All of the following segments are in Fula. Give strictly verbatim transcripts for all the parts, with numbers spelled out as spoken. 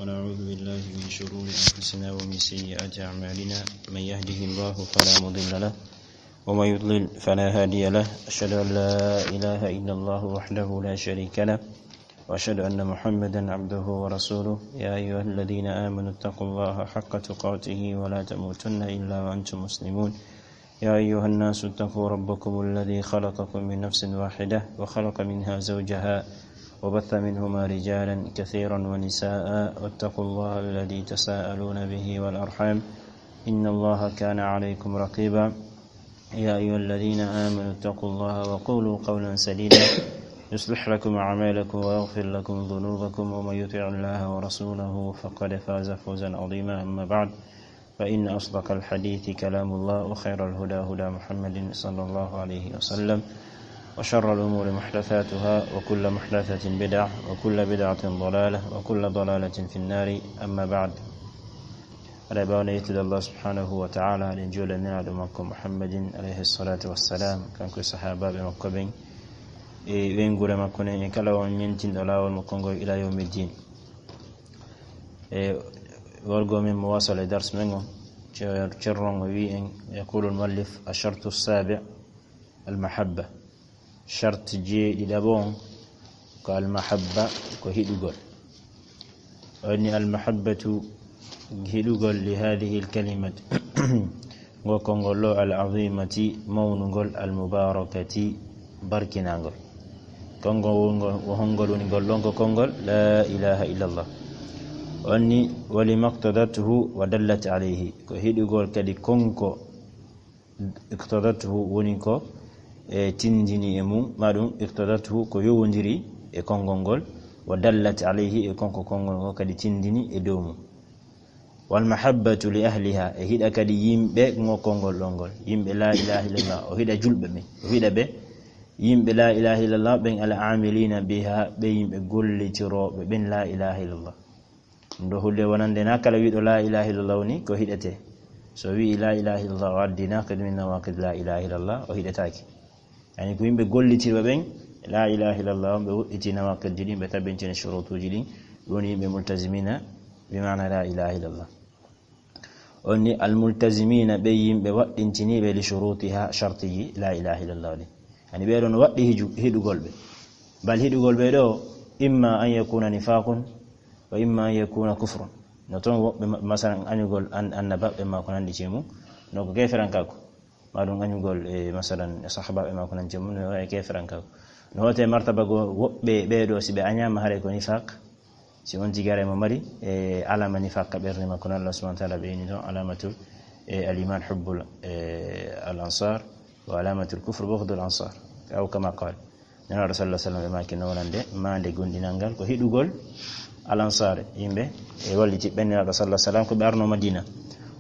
ونعوذ بالله من شرور أنفسنا ومن سيئات أعمالنا. من يهده الله فلا مضل له، ومن يضلل فلا هادي له. أشهد أن لا إله إلا الله وحده لا شريك له، وأشهد أن محمدا عبده ورسوله. يا أيها الذين آمنوا اتقوا الله حق تقاته ولا تموتن إلا وأنتم مسلمون. يا أيها الناس اتقوا ربكم الذي خلقكم من نفس واحدة وخلق منها زوجها وبث منهما رجالا كثيرا ونساء، واتقوا الله الذي تساءلون به والأرحام، إن الله كان عليكم رقيبا. يا أيها الذين آمنوا اتقوا الله وقولوا قولا سديدا، يصلح لكم أعمالكم ويغفر لكم ذنوبكم، ومن يطع الله ورسوله فقد فاز فوزا عظيما. أما بعد، فإن أصدق الحديث كلام الله، وخير الهدى هدى محمد صلى الله عليه وسلم، وشر الأمور محدثاتها، وكل محدثة بدعة، وكل بدعة ضلالة، وكل ضلالة في النار. أما بعد. Aɗa ɓawna yettude Allah subhanahu wa ta'ala, ɗen juulaniraɗo makko Muhammadin alayhi salatu wassalam, kanko e sahabaɓe makko ɓen, e ɓen gure makko nen, e kala on ñentinɗo laawol makko ngol ila yawmiddin. E wargo men mo wasala e dars men on, cer-, cerron o wi en, يقول المؤلف: الشرط السابع المحبة. Sharti jeeɗiɗaɓo on ko المحبة, ko hiɗugol. Woni المحبة, hiɗugol, لهذه الكلمة, ngo konngol ɗo, العظيمة, mawnungol, المباركة, barkinangol. Konngol wongol, wo honngol woni ngol ɗon? Ko konngol لا إله إلا الله. Woni ولما اقتضته ودلت عليه, ko hiɗugol kadi konko اقتضته woni ko e tindini e mum, ma ɗum اقتضته ko yowondiri e konngol ngol, ودلت عليه e konko konngol ngol kadi tindini e dow mum. والمحبة لأهلها, e hiɗa kadi yimɓe ngo konngol ɗon ngol, yimɓe لا إله إلا الله, o hiɗa julɓe ɓen, o hiɗa ɓe yimɓe لا إله إلا الله ɓen, العاملين بها, ɓe yimɓe gollitirooɓe ɓen لا إله إلا الله. Ɗum ɗo holli wonande na kala wiɗo لا إله إلا الله woni ko hiɗete. So wi'i لا إله إلا الله o addi ناقض من نواقض لا إله إلا الله, o hiɗetaake. Yani ko yimɓe gollitirɓe ɓen لا إله إلا الله, ɓe woɗɗiti nawaqidji ɗin, ɓe tabbintini shurutuji ɗin, ɓe woni yimɓe ملتزمين بمعنى لا إله إلا الله. Woni الملتزمين, ɓe yimɓe waɗɗintiniiɓe لشروطها, shartiji لا إله إلا الله ɗin. Yani ɓee ɗon waɗɗi hiju-, hiɗugol ɓe. Bal hiɗugol ɓe ɗo, إما أن يكون نفاق وإما أن يكون كفر. No toon woɓɓe ma-, masalan, añugol an-, annabaɓe ma ko nanndi cee mum, no ko keeferankaaku. Ma ɗum añugol e, masalan, e sahabaɓe ma ko nanndi cee mum, no e keeferankaaku. No hootee martaba goo woɓɓe ɓee ɗo, si ɓe añaama, haray ko nifaq. Si on tigi haray mo mari, e, alaama nifaq ka ɓernde makko, no Allah subhanahu wa ta'ala ɓeyni ɗon, alaamatul, e, الإيمان حب ال-، e, الأنصار، وعلامة الكفر بغض الأنصار، أو كما قال. Nelaaɗo sallallahu alaihi wasallam ɓe maaki no wonande maande gomɗinal ngal ko hiɗugol al ansaare, yimɓe e walliti ɓen Nelaaɗo sallallahu alaihi wasallam ko ɓe arno Madina.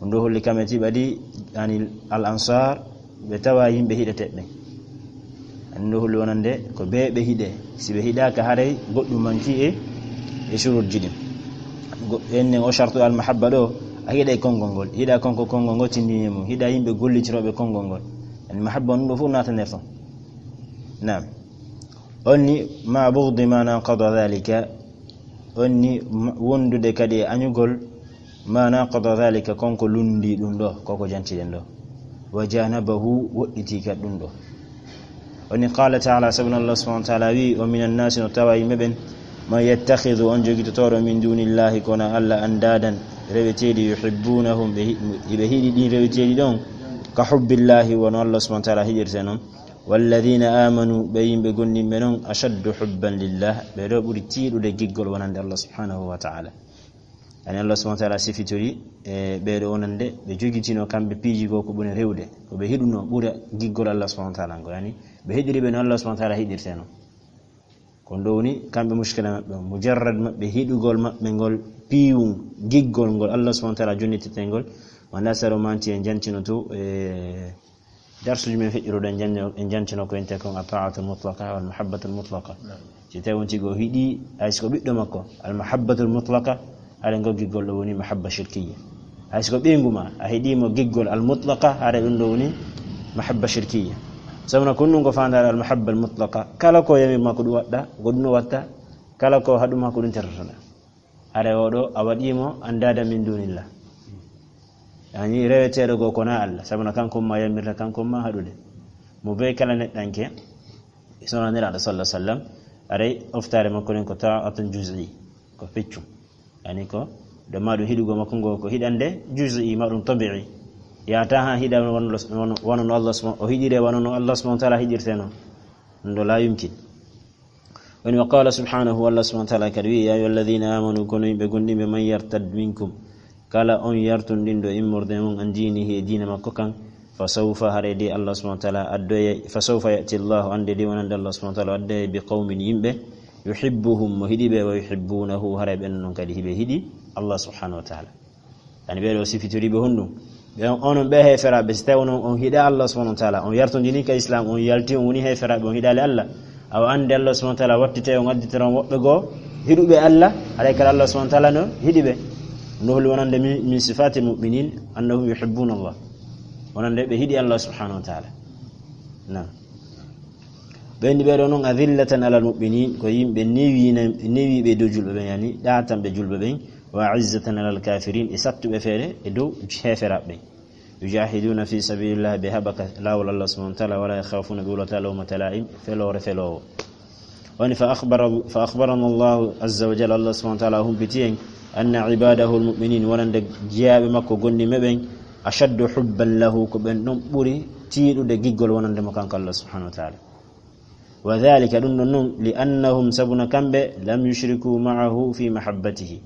Ɗum ɗo holli kamɓe tiɓa ɗi, yani al ansaar, ɓe tawa yimɓe hiɗeteeɓe ɓen. Ani ɗum ɗo holli wonande ko ɓe ɓe hiɗe. Si ɓe hiɗaaka, haray goɗɗum manki e, e shuruutji ɗin. Go-, ennen o shartu al mahabba ɗo, a hiɗa e konngol ngol, hiɗa konko konngol ngol tindini e mum, hiɗa yimɓe gollitirooɓe konngol ngol. Yani mahabba on ɗum ɗo fof naataner ton. Naam. On ni, ma bughdi ma naqada dhalika, on ni ma-, wondude kadi e añugol ma naqada dhalika, konko lundi ɗum ɗo, koko jantiɗen ɗo. Wa janabahu, woɗɗiti kadi ɗum ɗo. On ni qala ta'ala, sabu Allah subhanahu wa ta'ala wi, wa minan nasi, no tawa yimɓe ɓen, man yattakhidhu, on jogitotooɗo, min dunillahi, kono Allah, andadan, reweteeɗi, yuhibbunahum, ɓe hi-, ɓe hiɗi ɗin reweteeɗi ɗon, ka hubbillahi, wono Allah subhanahu wa ta'ala hiɗirte non. Walladhina amanu, ɓe yimɓe gomɗinɓe non, ashaddu hubban lillah, ɓe ɗo ɓuri tiiɗude giggol wonande Allah subhanahu wa ta'ala. Yani Allah subhanahu wa ta'ala sifitori, e, ɓe ɗo wonande ɓe jogitino kamɓe piiji goo ko ɓuri rewde, ko ɓe hiɗuno ɓura giggol Allah subhanahu wa ta'ala ngol. Yani ɓe hiɗiri ɓe no Allah subhanahu wa ta'ala hiɗirte non. Ko ɗum ɗo woni kamɓe mushkila maɓɓe on. Mujarrad maɓɓe hiɗugol maɓɓe ngol piiwun giggol ngol Allah subhanahu wa ta'ala jonnitete ngol, wonaa saro manti en jantinoto, e, darsuuji men feƴƴuɗo ɗen, en jan-, en jantino ko wiyetee kon at-ta'atul mutlaqa wal mahabbatul mutlaqa. Naam. Si tawi on tigi o hiɗi, hay si ko ɓiɗɗo makko, al mahabbatul mutlaqa, haray ngol giggol ɗo woni mahabba shirkiyya. Hay si ko ɓeyngu ma, a hiɗi mo giggol al mutlaqa, haray ɗum ɗo woni mahabba shirkiyya. Sabu na ko ɗum ko faandaare al mahabba al mutlaqa. Kala ko yami ma ko ɗum waɗɗa, ko ɗum o watta, kala ko haɗu ma ko ɗum tertotoɗa. Hare oɗo a waɗimo andada min dunillah. Yani reweteɗo go kona Allah, sabuna kanko ma yamirta kanko ma haɗude. Mo be kala neɗɗanke, sona nira da sallallahu alaihi wasallam, aray oftare makko nen ko ta'atun juz'i, ko feccum. Yani ko do maɗum hiɗugo makko ngo ko hiɗande juz'i maɗum tabi'i. Yata ha hiɗa wano Allah subhanahu, o hiɗire wano no Allah subhanahu wa ta'ala hiɗirte non. Ɗum ɗo la yumkin. Woni wa qala subhanahu, Allah subhanahu wa ta'ala kadi wi, ya ayyuha alladhina amanu, kono yimɓe gonɗinɓe, man yartad minkum, kala on yartundinɗo immorde mum an dinihi e diina makko kan, fa sawfa, haray de Allah subhanahu wa ta'ala addoye, fa sawfa ya'ti Allah, ande de wonande Allah subhanahu wa ta'ala addoye bi qawmin, yimɓe, yuhibbuhum, mo hiɗi ɓe, wa yuhibbunahu, haray ɓen non kadi hiɓe hiɗi Allah subhanahu wa ta'ala. Ani ɓeɗo sifitiri ɓe honɗum? Ɓe on, onon ɓe heeferaɓe, si tawi onon on hiɗa Allah subhanahu wa ta'ala, on yartondini ka islam, on yalti on woni heeferaɓe, on hiɗali Allah. Awa ande Allah subhanahu wa ta'ala wattite on additira on woɓɓe goo hiɗuɓe Allah, haray kala Allah subhanahu wa ta'ala no hiɗi ɓe. No holi wonande min, min sifatil mu'minin annahum yuhibbuna Allah. Wonande ɓe hiɗi Allah subhanahu wa ta'ala. Naam. Ɓen ɗi ɓeɗo non, adillatan alal mu'minin, ko yimɓe newiina-, newiɓe dow julɓe ɓen, yani ɗatanɓe julɓe ɓen, wa izzatan alal kafirin, e sattuɓe feere e dow heeferaɓe ɓen. Yujahiduna fi sabilillah, ɓe haɓaka lawol Allah subhanahu wa ta'ala, wala yakhafuna, ɓe wulata lawmata la'im, feloore felowo. Woni fa akhbara, fa akhbarana Allahu azza wa jalla, Allah subhanahu wa ta'ala humpiti en, anna ibadahu almu'minin, wonande jeyaaɓe makko gonɗinɓe ɓen, ashaddu hubban lahu, ko ɓen ɗon ɓuri tiiɗude giggol wonande mo kanko Allah subhanahu wa ta'ala. Wa dhalika, ɗum ɗon non, li annahum, sabuna kamɓe, lam yushriku ma'ahu fi mahabbatihi,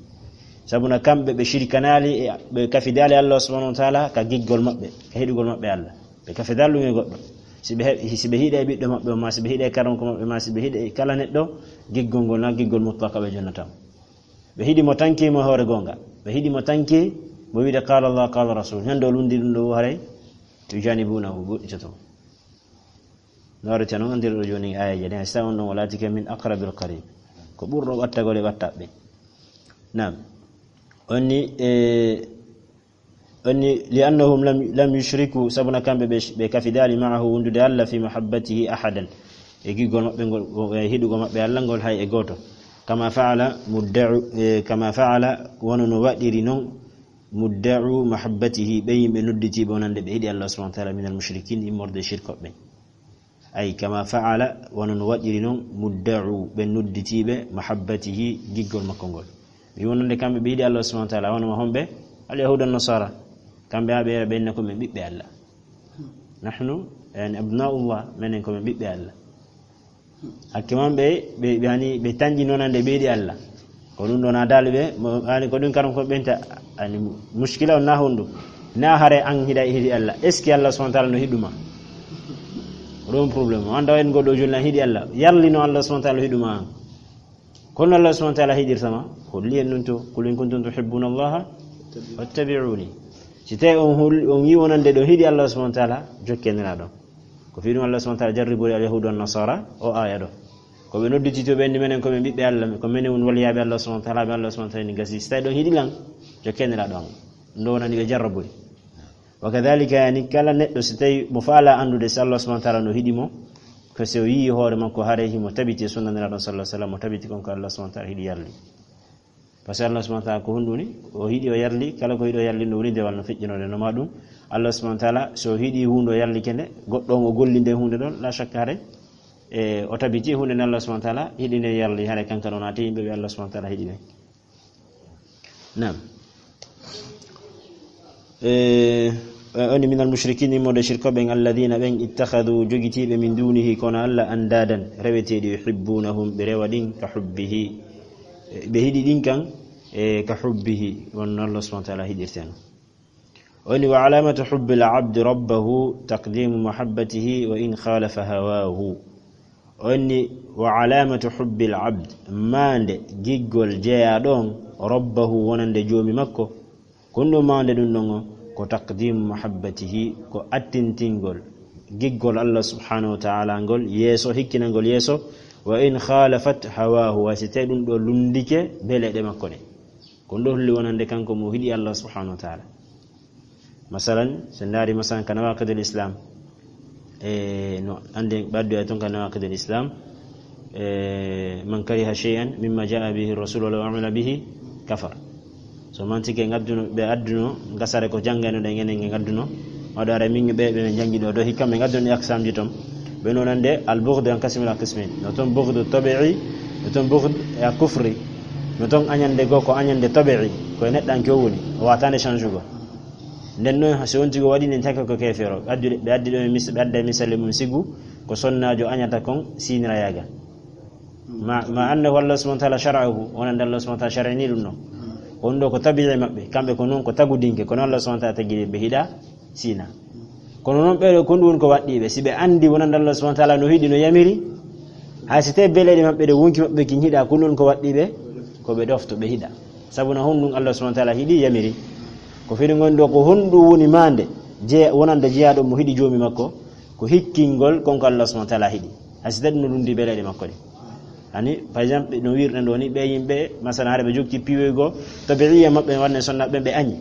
sabuna kamɓe ɓe shirkanaali, e ɓe kafidaali Allah subhanahu wa ta'ala ka giggol maɓɓe, ka hiɗugol maɓɓe Allah. Ɓe kafidaali ɗum e goɗɗo. Si ɓe he-, si ɓe hiɗe ɓiɗɗo maɓɓe o, ma si ɓe hiɗe karonko maɓɓe, ma si ɓe hiɗe kala neɗɗo, giggol ngol na giggol mutlaka ɓe jonnata mo. Ɓe hiɗi mo tanki mo hoore goonga. Ɓe hiɗi mo tanki mo wiide qala Allah, qala rasul. Ñande o lundi ɗum ɗo haray, yujanibunahu, goɗɗitoto. No warata non andirɗo jooni aayeeje ɗen, si tawi on ɗon o laatike min aqrabil qarib. Ko ɓurɗo ɓattagol e ɓattaɓe. Naam. Onni, e, onni, li annahum lam, lam yushriku, sabuna kamɓe ɓe, ɓe kafidaali ma'ahu wondude Allah fi mahabbatihi ahadan. E giggol maɓɓe ngol, e hiɗugol maɓɓe Allah ngol hay e gooto. Kama fa'ala mudda'u, e, kama fa'ala, wano no waɗiri non, mudda'u mahabbatihi, ɓe yimɓe nodditiiɓe wonande ɓe hiɗi Allah subhanahu wa ta'ala minal mushrikin, immorde shirkoɓe. Ay, kama fa'ala, wano no waɗiri non, mudda'u, ɓe nodditiiɓe, mahabbatihi, giggol makko ngol. Mi wonande kamɓe ɓe yiɗi Allah subhanahu wa ta'ala, wano ma homɓe, al yahuda nasara. Kamɓe ha ɓe yara ɓe inna ko men ɓiɓɓe Allah. Nahnu, yani, abna'ullah, menen ko men ɓiɓɓe Allah. Hakke man ɓe, ɓe, ɓe hani, ɓe tanƴi nonande ɓe yiɗi Allah. Ko ɗum ɗon a daali ɓe, mo, hani ko ɗum karam ko ɓenta, ani muskila on na honɗum. Na hare an hiɗa hiɗi Allah. Est-ce que Allah subhanahu wa ta'ala no hiɗuma? Ko ɗum problème. O anda en goɗɗo joni na hiɗi Allah. Yarli no Allah subhanahu wa ta'ala hiɗuma an. Kono Allah subhanahu wa ta'ala hiɗirta ma. Holli en ɗum to. Qul in kuntum tuhibbuna Allah fattabi'uni. Si tawi on hol-, on yi wonande ɗo hiɗi Allah subhanahu wa ta'ala, jokke nira ɗon. Ko fii ɗum Allah subhanahu wa ta'ala jarribori al yahudu wan nasara o aya ɗo. Ko ɓe nodditi to ɓe anndi menen ko ɓe ɓiɓɓe Allah, ko menen woni waliyaaɓe Allah subhanahu wa ta'ala, ɓe Allah subhanahu wa ta'ala ni gasi. Si tawi ɗon hiɗi lan, jokke nira ɗon. Ɗum ɗo wonani ɓe jarrabori. Wa kadhalika, yani, kala neɗɗo si tawi mo faala anndude si Allah subhanahu wa ta'ala no hiɗi mo, ko si o yii hoore makko haray himo tabiti e sunna nira ɗon sallallahu alaihi wasallam, mo tabiti kon ko Allah subhanahu wa ta'ala hiɗi yarli. Par ce que Allah subhanahu wa ta'ala ko honɗum woni? O hiɗi o yarli, kala ko hiɗi o yarli no woni dewal no feƴƴinode no ma ɗum. Allah subhanahu wa ta'ala so hiɗi huunde o yarlike nde, goɗɗo on o golli nde huunde ɗon, la shakka haray, e, o tabiti huunde nde Allah subhanahu wa ta'ala hiɗi nde yarli, haray kanka ɗon naati yimɓe ɓe Allah subhanahu wa ta'ala hiɗi ɓe. Naam. E, e, oni minal mushrikin, immorde shirkoɓe ɓen, alladhina ɓen, ittakhadhu, jogitiiɓe, min dunihi, kono Allah, andadan, reweteeɗi, yuhibbunahum, ɓe rewa ɗin, ka hubbihi, e, ɓe hiɗi ɗin kan, e, ka hubbihi, wonno Allah subhanahu wa ta'ala hiɗirten. Oni wa alamatu hubbil abdi rabbahu taqdimu mahabbatihi wa in khalafa hawahu. Onni wa alamatu hubbil abd, maande giggol jeyaaɗo on, rabbahu, wonande joomi makko. Kon ɗum maande ɗum ɗon on, ko taqdimu mahabbatihi, ko attintingol giggol Allah subhanahu wa ta'ala ngol yeeso, hikkinangol yeeso, wa in khalafat hawahu, wa si tawi ɗum ɗo lundike beleɗe makko ɗe. Kon ɗo holli wonande kanko mo hiɗi Allah subhanahu wa ta'ala. Masalan, so ndaari masalan ka nawaqidul Islam, e, no ande ɓaddu e ton ka nawaqidul Islam, e, man kariha shay'an mimma ja'a bihi rasul walaw amila bihi Kafar. So mantike ngadduno, ɓe adduno, ngasare ko janngayno ɗen enen nge ngadduno. Waɗo ara min ɓe, ɓe min janngi ɗo, ɗo hikka ɓe ngadduno e aksamji ton. Ɓe no nande al-bughd an kasimil al qismayn. No ton bughd tabi'i, no ton bughd e a kufri. No ton añande go ko añande tabi'i, ko e neɗɗanke o woni, o wataande change go. Nden noon, so wonti ko waɗi nden cakka ko keefeero. Ɓe addi, ɓe addi ɗo e mis-, ɓe adda e misali mum sigu, ko sonnaajo añata kon siinira yaaga. Ma, ma annahu Allah subhanahu wa ta'ala shara'ahu, wonande Allah subhanahu wa ta'ala shara'ini ɗum ɗon. Ko ɗum ɗo ko tabi'i maɓɓe, kamɓe ko noon ko tagudinke, kono Allah subhanahu wa ta'ala tagi ɓe hiɗa siina. Kono noon ɓeɗo ko ɗum woni ko waɗɗiɓe, si ɓe andi wonande Allah subhanahu wa ta'ala no hiɗi no yamiri, hay si tawi beleɗe maɓɓe ɗe wonki maɓɓe kin hiɗa, ko ɗum woni ko waɗɗiɓe, ko ɓe ɗofto ɓe hiɗa. Sabu na honɗum Allah subhanahu wa ta'ala hiɗi yamiri. Ko firi ngon ɗo ko honɗum woni mande, je, wonande jeyaaɗo mo hiɗi joomi makko, ko hikkingol kon ko Allah subhanahu wa ta'ala hiɗi. Hay si tawi ɗum no lundi beleɗe makko ɗe. Ani, par exemple, no wirɗen ɗo ni, ɓe yimɓe, masalan, hara ɓe jokki piiwoygo, tabi'iyya maɓɓe, wonande sonnaaɓe ɓe añi.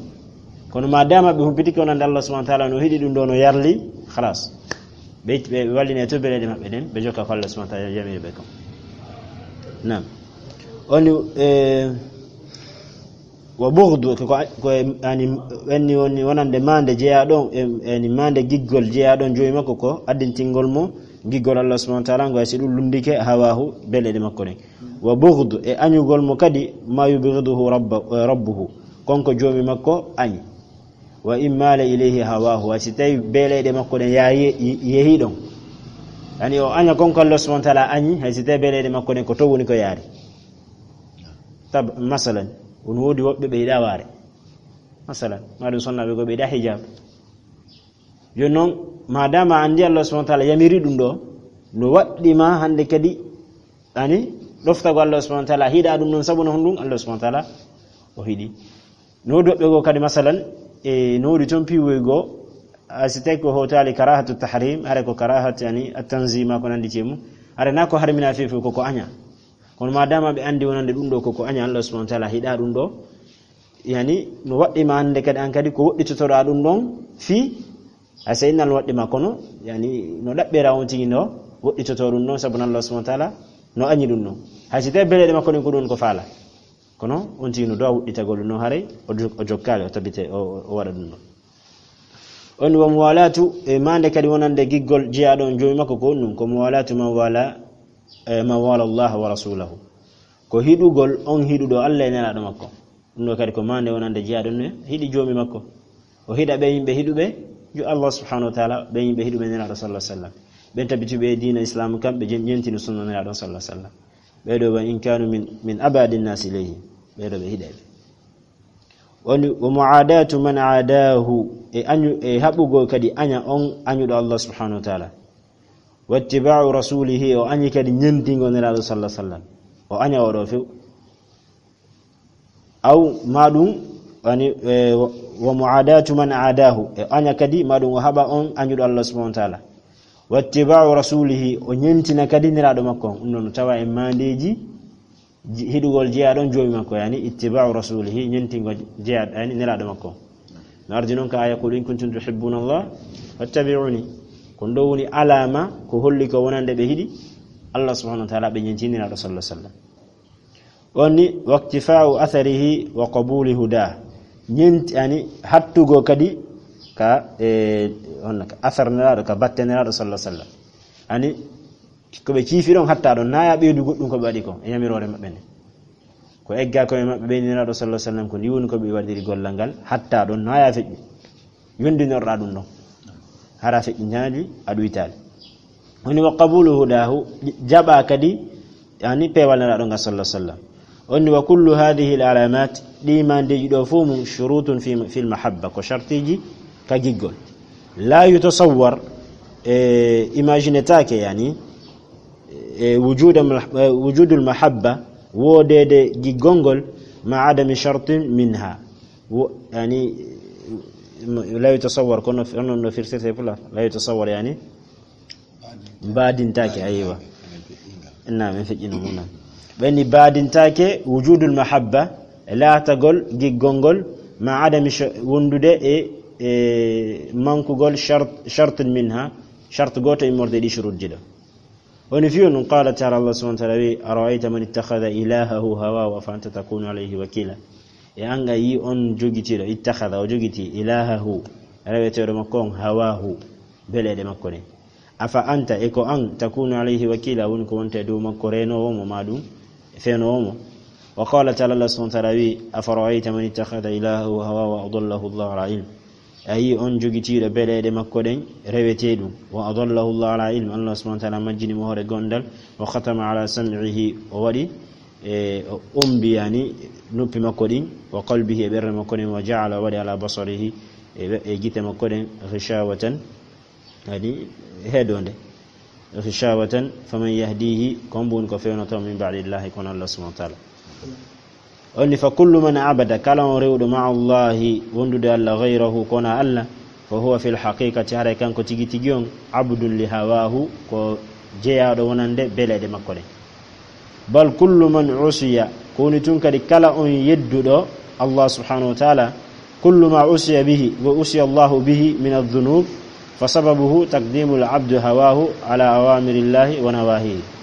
Kono ma dama ɓe humpitike wonande Allah subhanahu wa ta'ala no hiɗi ɗum ɗo no yarli, khalas. Ɓe, ɓe, ɓe walline to beleɗe maɓɓe ɗen, ɓe jokka ko Allah subhanahu wa ta'ala yamiri ɓe kon. Naam. Oni, eh, wa bughdu, ko, ko, ko, yani, wenni woni wonande mande jeyaaɗo, em, yani mande giggol jeyaaɗo joomi makko ko addintingol mo giggol Allah subhanahu wa ta'ala, ngo si ɗum lundike hawahu beleɗe makko ɗen. Wa bughdu, e añugol mo kadi ma yubghiduhu rabba-, eh, rabbuhu, kon ko joomi makko añi. Wa in mala ilayhi hawahu, hay si tawi beleɗe makko ɗen ya-, ye-, yehi ɗon. Yani o aña kon ko Allah subhanahu wa ta'ala añi, hay si tawi beleɗe makko ɗen ko to woni ko yaari. Tab-, masalan, on woodi woɓɓe ɓe yiɗa waare. Masalan, ma ɗum sonnaaɓe go ɓe yiɗa hijab. Yo non, ma dama andi Allah subhanahu wa ta'ala yamiri ɗum ɗo, no waɗɗi ma hande kadi, ani, ɗoftago Allah subhanahu wa ta'ala, hiɗa ɗum ɗon sabu no honɗum Allah subhanahu wa ta'ala o hiɗi. No woodi woɓɓe go kadi, masalan, e no woodi ton piiwoy go, a si tawi ko hotali karahatu tahrim, hara ko karahatu, yani, at-tanzih ma ko nandi cemu, hara na ko harmina fefe ko ko aña. Kono ma dama ɓe andi wonande ɗum ɗo ko ko aña Allah subhanahu wa ta'ala hiɗa ɗum ɗo, yani, no waɗɗi ma hande kadi an kadi ko woɗɗitotoɗa ɗum ɗon fii, hay si innal no waɗɗi ma kono, yani, no ɗaɓɓira on tigi no woɗɗitoto ɗum ɗon sabu Allah subhanahu wa ta'ala no añi ɗum ɗon. Hay si tawi beleɗe makko ɗen ko ɗum ko faala. Kono on tigi no dowa wuɗɗitagol ɗum ɗon haray o jo-, o jokkaali, o tabite, o, o, o waɗa ɗum ɗon. On wa muwalatu, e mande kadi wonande giggol jeyaaɗo on joomi makko ko on ɗum, ko muwalatu man wala, e man wala Allah wa rasulahu. Ko hiɗugol on hiɗuɗo Allah e nelaaɗo makko. Ɗum ɗo kadi ko mande wonande jeyaaɗo on hiɗi joomi makko. O hiɗa ɓe yimɓe hiɗuɓe jo Allah subhanahu wa ta'ala, ɓe yimɓe hiɗuɓe nelaaɗo sallallahu alaihi wasallam. Ɓen tabituɓe e diina Islam kam, ɓe jen-, jentino sunna nelaaɗo sallallahu alaihi wasallam. Ɓeɗo wa in kanu min, min abadi nnasi ilayhi. Ɓeɗo ɓe hiɗa ɓe. Woni, wa mu'adatu man adahu, e añu-, e haɓugol kadi aña on añuɗo Allah subhanahu wa ta'ala. Wattiba'u rasulihi, o añi kadi ñentingo nelaaɗo sallallahu alaihi wasallam. O aña oɗo few. Aw ma ɗum, wani, e, wa, wa mu'adatu man adahu, e aña kadi ma ɗum o haɓa on añuɗo Allah subhanahu wa ta'ala. Wattiba'u rasulihi, o ñentina kadi nelaaɗo makko on. Ɗum ɗon no tawa e mandeji ji-, hiɗugol jeyaaɗo on joomi makko, yani ittiba'u rasulihi, ñentingo jeyaaɗo, yani nelaaɗo makko on. No ardi non ka aya, "Qul in kuntum tuhibbuna Allah fattabi'uni." Ko ɗo woni alama ko holli ko wonande ɓe hiɗi Allah subhanahu wa ta'ala, ɓe ñentini nelaaɗo sallallahu alaihi wasallam. Woni, "Waktifa'u atharihi wa qabuli huda." Ñenti, ani, hattugo kadi ka, e, honna ka athar nelaaɗo, ka batte nelaaɗo sallallahu alaihi wasallam. Ani, ko ɓe ciifi ɗon hatta ɗon, naya ɓeydu goɗɗum ko ɓe waɗi ko, e yamiroore maɓɓe nde. Ko egga ko e maɓɓe ɓeydi nelaaɗo sallallahu alaihi wasallam, ko ndi woni ko ɓe waɗiri gollal ngal, hatta ɗon, naya feƴƴi. Yondinorɗa ɗum ɗon. Hara feƴƴintaali, a ɗuytaali. Woni wa qabulu hudahu, jaɓa kadi, yani, peewal nelaaɗo ngal sallallahu alaihi wasallam. Woni wa kullu hadhihi al alamat, ɗi mandeji ɗo fof mum shurutun fi, fil mahabba, ko shartiji ka giggol. La yutasawwar, e, imagine taake, yani, e, wujuda mah-, e, wujudul mahabba, woodede giggol ngol, ma adami shartin minha. Wo-, yani, la yutasawwar, kono f-, onon no firtirte pulaar, la yutasawwar, yani, mbaadintaake, aywa. Naam, en feƴƴino mo, naam. Ɓe ni mbaadintaake wujudul mahabba, laatagol giggol ngol, ma adami sh-, wondude e, e mankugol shart, shartin minha, shart gooto immorde ɗi shurutji ɗo. Woni fiyo nun, qala taala, Allah subhanahu wa taala wi, "Ara'ayta man ittakhadha ilahahu hawahu afa anta takunu alayhi wakila." E an a yi on jogitiiɗo, ittakhadha, o jogiti, ilahahu, reweteeɗo makko on, hawahu, beleeɗe makko ɗen. Afa anta, e ko an, takunu alayhi wakila, woni ko wonta e dow makko reenoowo mo, maa ɗum feenoowo mo. Wa qala taala, Allah subhanahu wa taala wi, "Afara'ayta man ittakhadha ilahahu hawahu wa adallahu Allahu ala ilm." A yi on jogitiiɗo beleeɗe makko ɗen rewetee ɗum. Wa adallahu Allahu ala ilm. Allah subhanahu wa taala majjini mo hoore gondal. Wa khatama ala sam'ihi. O waɗi, e, o ombi, yani, noppi makko ɗin. Wa qalbihi, e ɓernde makko ɗen. Wa ja'ala, o waɗi ala basarihi, e ɓe-, e gite makko ɗen, ghishawatan, yani, heedonde. Ghishawatan, faman yahdihi, ko hombo woni ko fewnoto min ba'dillahi, kono Allah subhanahu wa taala. Onni fa kullu man abada, kala on rewɗo ma'a Allahi, wondude Allah, ghayrahu, kona Allah, fa huwa fil haqiqati, haray kanko tigi tigi on, abdun li hawahu, ko jeyaaɗo wonande beleeɗe makko ɗen. Bal kullu man usiya, ko woni tun kadi kala on yedduɗo Allah subhanahu wa taala, kullu ma usiya bihi, wa usiya Allahu bihi min adh-dhunub, fa sababuhu taqdimul abdu hawahu ala awamirillahi wa nawahihi.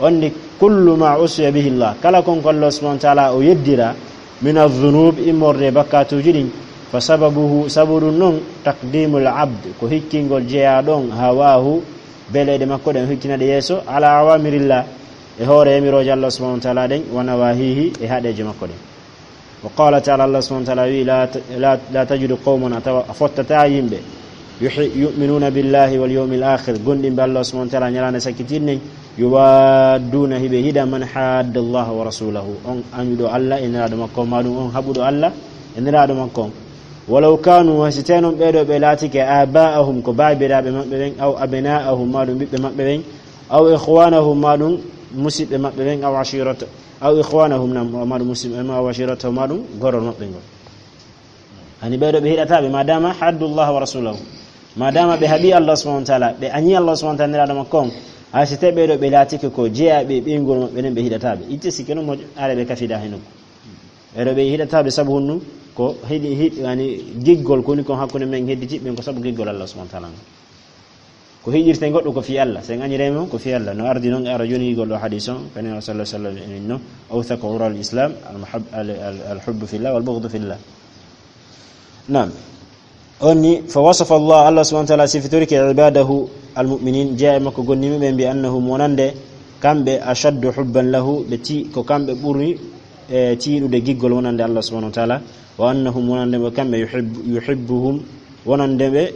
Onni kullu ma usiya bihi Allah, kala kon ko Allah subhanahu wa taala o yeddira, min adh-dhunub, immorde e bakkatuuji ɗin, fa sababuhu, sabu ɗum non, taqdimul abd, ko hikkingol jeyaaɗo on, hawahu, beleeɗe makko ɗen, o hikkina ɗe yeeso, ala awamirillah, e hoore yamirooje Allah subhanahu wa taala ɗen, wa nawahihi, e haɗeeje makko ɗen. Wa qala taala, Allah subhanahu wa taala wi, "La ta-, la, la tajidu qawman," a tawa a fottata yimɓe, yuhi-, yu'minuna billahi wal yawmil akhir, gomɗinɓe Allah subhanahu wa taala, ñalaande sakkitinɗen, yuwadduna, hiɓe hiɗa, man hadda Allah wa rasulahu, on añuɗo Allah e nelaaɗo makko on, maa ɗum on haɓuɗo Allah e nelaaɗo makko on. Walaw kanu, hay si tawii non ɓee ɗoo ɓe laatike, aba'ahum, ko baabiraaɓe maɓɓe ɓen, aw abna'ahum, maa ɗum ɓiɓɓe maɓɓe ɓen, aw ikhwanahum, maa ɗum musiɓɓe maɓɓe ɓen, aw ashirata, aw ikhwanahum, nam, maa ɗum musiɓɓe, aw ashiratahum, maa ɗum gorol maɓɓe ngol. Hani ɓee ɗoo ɓe hiɗataa ɓe, ma dama haddu Allah wa rasulahu. Ma dama ɓe haɓi Allah subhanahu wa taala, ɓe añi Allah subhanahu wa taala, nelaaɗo makko on, hay si tawii ɓee ɗoo ɓe laatike ko jeyaaɓe e ɓeynguure maɓɓe nden, ɓe hiɗataa ɓe. Itte sikke non mo are ɓe kafida he nokku. Ɓee ɗoo ɓe hiɗataa ɓe sabu honɗum? Ko hiɗi, hiɗi, yani, giggol ko woni kon hakkunde men hedditiiɓe ɓen ko sabu giggol Allah subhanahu wa taala ngon. Ko hiɗirte goɗɗo ko fii Allah, sen añirema ko fii Allah. No ardi non, ara joni gol ɗo hadis on, kadi Rasulullah sallallahu alaihi wasallam no, awthaqu ural islam, al muhab-, al, al, al hubbu fillah wal bughdu fillah. Naam. Onni, fa wasafa Allah, Allah subhanahu wa taala sifitorike ibadahu al mu'minin, jeyaa e makko gomɗinɓe ɓen, bi annahum, wonande kamɓe, ashaddu hubban lahu, ɓe ti-, ko kamɓe ɓuri, e, tiiɗude giggol wonande Allah subhanahu wa taala, wa annahum, wonande ɓe kamɓe, yuhibbu-, yuhibbuhum, wonande ɓe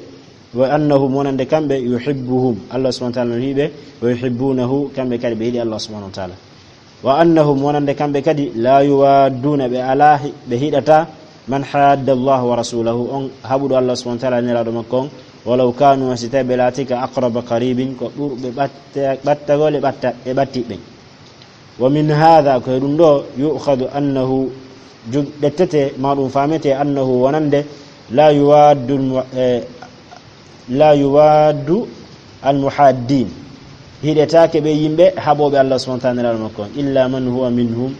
Wa annahum, wonande kamɓe, yuhibbuhum, Allah subhanahu wa taala no yiɗi ɓe, wa yuhibbunahu, kamɓe kadi ɓe yiɗi Allah subhanahu wa taala. Wa annahum, wonande kamɓe kadi, la yuwadduna, ɓe alaa hi-, ɓe hiɗata, man hadda Allah wa rasulahu, on haɓuɗo Allah subhanahu wa taala, nelaaɗo makko on, walaw kanu, si tawii ɓe laatike, aqraba qaribin, ko ɓurɓe ɓatte-, ɓattagol e ɓatta-, e ɓattiɓɓe. Wa min hadha, ko e ɗum ɗo, yu'khadhu annahu, jog-, ƴettete, ma ɗum faamete, annahu, wonande, la yuwaddu al mu-, eh, la yuwaddu al muhaddin. Hiɗetaake ɓe yimɓe haɓooɓe Allah subhanahu wa taala nelaaɗo makko on, illa man huwa minhum.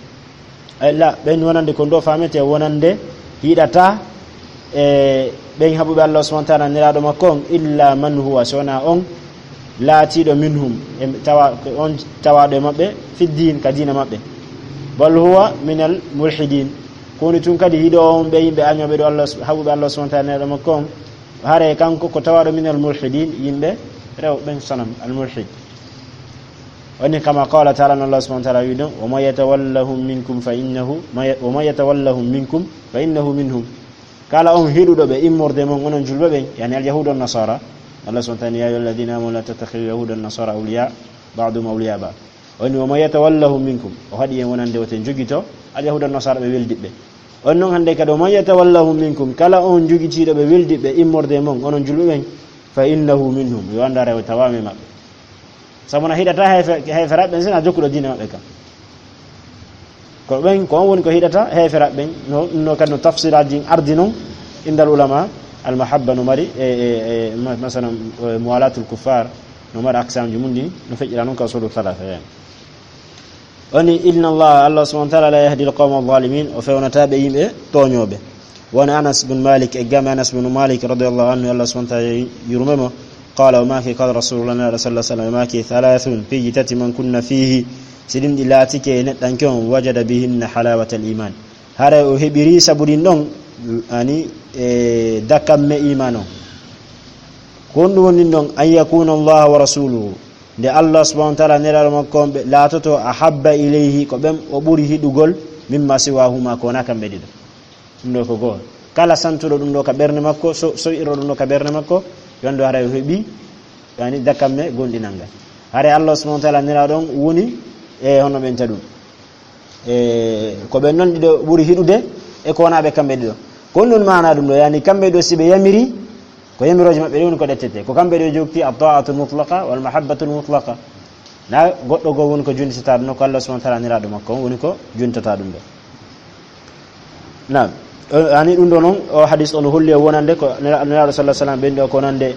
Eh, la, ɓen wonande ko ɗo faamete, wonande hiɗata e ɓen haɓuɓe Allah subhanahu wa taala nelaaɗo makko on, illa man huwa, si wonaa on laatiiɗo minhum, e tawa, ko on tawaaɗo e maɓɓe, fi diin, ka diina maɓɓe. Bal huwa minal mulhidin. Ko woni tun kadi hiɗo on ɓe yimɓe añooɓe ɗo Allah, haɓuɓe Allah subhanahu wa taala nelaaɗo makko on, hare kanko ko tawaaɗo minal mulhidin, yimɓe rewɓe ɓen sonam, al mulhid. Woni kama qala taala, no Allah subhanahu wa taala wi ɗon, "Wa man yatawallahum minkum fa innahu, ma ya-, wa man yatawallahum minkum fa innahu minhum." Kala on hiɗuɗo ɓe immorde mon, onon julɓe ɓen, yani al yahuda wan nasara. Allah subhanahu wa taala, "Ya ayyuhalladhina amanu la tattakhidhu yahuda wan nasara awliya, ba'duhum awliya ba'd." Woni, "Wa man yatawallahum minkum." O haɗi en wonande woten jogito al yahuda wan nasara ɓe weldiɓɓe. On non hande kadi, "Wa man yatawallahum minkum." Kala on jogitiiɗo ɓe weldiɓɓe immorde mon, onon julɓe ɓen, "fa innahu minhum." Yo anndu hare o tawaama e maɓɓe. Sabu na hiɗata heefe-, heeferaaɓe ɓen, sina jokkuɗo diina maɓɓe kan. Ko ɓen, ko on woni ko hiɗata heeferaaɓe ɓen. No, no kadi no tafsiraaji ardi non, indal ulama, al mahabba no mari, e, e, e, ma-, masalan, e, muwalatul kuffar, no mari aksamji mum ɗi, no feƴƴira non ka usulu thalatha, yani. Woni, "Inna Allah, Allah subhanahu wa taala la yahdi al qawma adh-dhalimin," o fewnata ɓe yimɓe tooñooɓe. Woni Anas bin Malik, e game Anas bin Malik radiyallahu anhu, Allah subhanahu wa taala yurme mo, Qala, o maaki, qala Rasulullah, Nelaaɗo sallallahu alaihi wasallam maaki, thalathun, piiji tati, man kunna fihi, si ɗin ɗi laatike e neɗɗanke on, wajada bihinna halawatal iman. Haray o heɓiri sabu ɗin ɗon, ani, e, dakamme iman on. Ko honɗum woni ɗin ɗon? An yakuna Allah wa rasuluhu. Nde Allah subhanahu wa ta'ala nelaaɗo makko on ɓe laatoto ahabba ilayhi, ko ɓen o ɓuri hiɗugol, mimma siwahuma, ko wonaa kamɓe ɗiɗo. Ɗum ɗo ko go'o. Kala santuɗo ɗum ɗo ka ɓernde makko, so, so wi'iro ɗum ɗo ka ɓernde makko, yondo haray o heɓi, yani, dakamme gonɗinal ngal. Haray Allah subhanahu wa ta'ala nelaaɗo on woni e hono ɓen taɗum. E ko ɓen non ɗiɗo ɓuri hiɗude e ko wonaa ɓe kamɓe ɗiɗo. Ko ɗum maana ɗum ɗo, yani, kamɓe ɗo si ɓe yamiri, ko yamirooje maɓɓe ɗe woni ko ɗettete. Ko kamɓe ɗo jokki at-ta'atul mutlaqa wal mahabbatul mutlaqa. Na goɗɗo goo woni ko juntata ɗum ɗo, ko Allah subhanahu wa ta'ala nelaaɗo makko on woni ko juntata ɗum ɗo. Naam. O, ani ɗum ɗo non, o hadis on holli e wonande ko nela-, nelaaɗo sallallahu alaihi wasallam ɓen ɗo ko wonande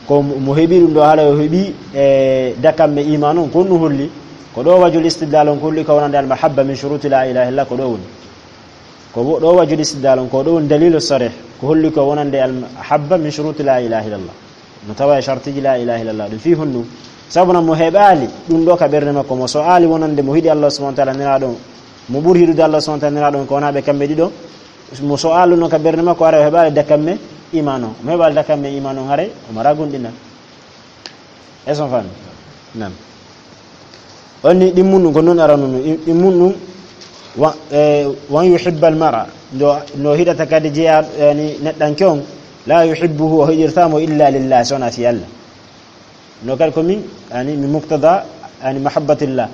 ko mo heɓi ɗum ɗo, haala o heɓi e dakamme iman on, ko ɗum holli. Ko ɗo wajhul istidlal on ko holli ko wonande al mahabba min shuruti la ilaha illallah, ko ɗo woni. Ko wo-, ɗo wajhul istidlal on, ko ɗo woni dalilu sarih, ko holli ko wonande al mahabba min shuruti la ilaha illallah. No tawa e shartiji la ilaha illallah ɗum fii honɗum? Sabu na mo heɓaali ɗum ɗo ka ɓernde makko, mo so aali wonande mo hiɗi Allah subhanahu wa ta'ala nelaaɗo, mo ɓuri hiɗude Allah subhanahu wa ta'ala nelaaɗo on ko wonaa ɓe kamɓe ɗiɗo, mo so aali non ka ɓernde makko, haray o heɓaali dakamme iman on. Mo heɓaali dakamme iman on, haray o mara gonɗinal. Est-ce que on faami? Naam. On ni ɗimmun ɗum ko non arano ɗum. Ɗimmun ɗum wa, e, wan yuhibbal mar'a. No, no hiɗata kadi jeya, yani, neɗɗanke on, la yuhibbuhu, o hiɗirta mo illa lillah, so wonaa fii Allah. No kadi ko min, yani, min muqtada, yani, mahabbatillah.